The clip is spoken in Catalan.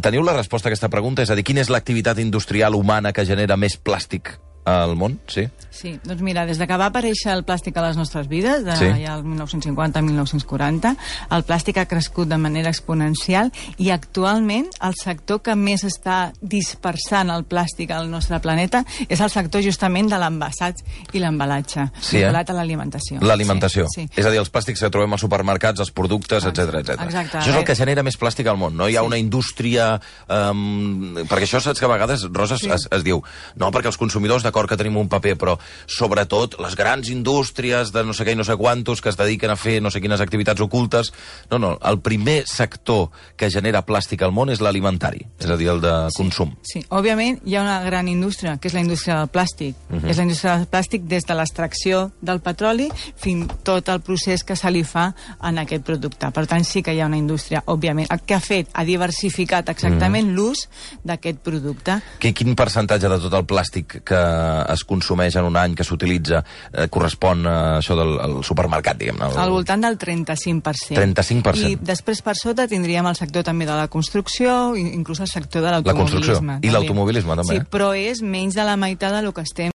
Teniu la resposta a aquesta pregunta? És a dir, quina és l'activitat industrial humana que genera més plàstic al món? Sí? Sí, doncs mira, des que va aparèixer el plàstic a les nostres vides, ja el 1950-1940, el plàstic ha crescut de manera exponencial i actualment el sector que més està dispersant el plàstic al nostre planeta és el sector justament de l'envasat i l'embalatge, vinculat a l'alimentació. L'alimentació. Sí. És a dir, els plàstics que trobem als supermercats, els productes, etc. Exacte. Això és el que genera més plàstic al món, no? Hi ha una indústria... perquè això saps que a vegades, Rosa, es diu no, perquè els consumidors, d'acord que tenim un paper, però sobretot les grans indústries de no sé què i no sé quantos que es dediquen a fer no sé quines activitats ocultes. No, el primer sector que genera plàstic al món és l'alimentari, és a dir, el de consum. Sí, òbviament hi ha una gran indústria, que és la indústria del plàstic. És la indústria del plàstic des de l'extracció del petroli fins tot el procés que se li fa en aquest producte. Per tant, sí que hi ha una indústria, òbviament. El que ha fet, ha diversificat exactament l'ús d'aquest producte. Quin percentatge de tot el plàstic que es consumeix en un any, que s'utilitza, correspon a això del supermercat, diguem-ne? Al voltant del 35%. 35%. I després per sota tindríem el sector també de la construcció, inclús el sector de l'automobilisme. La construcció i l'automobilisme, també. Sí, però és menys de la meitat del que estem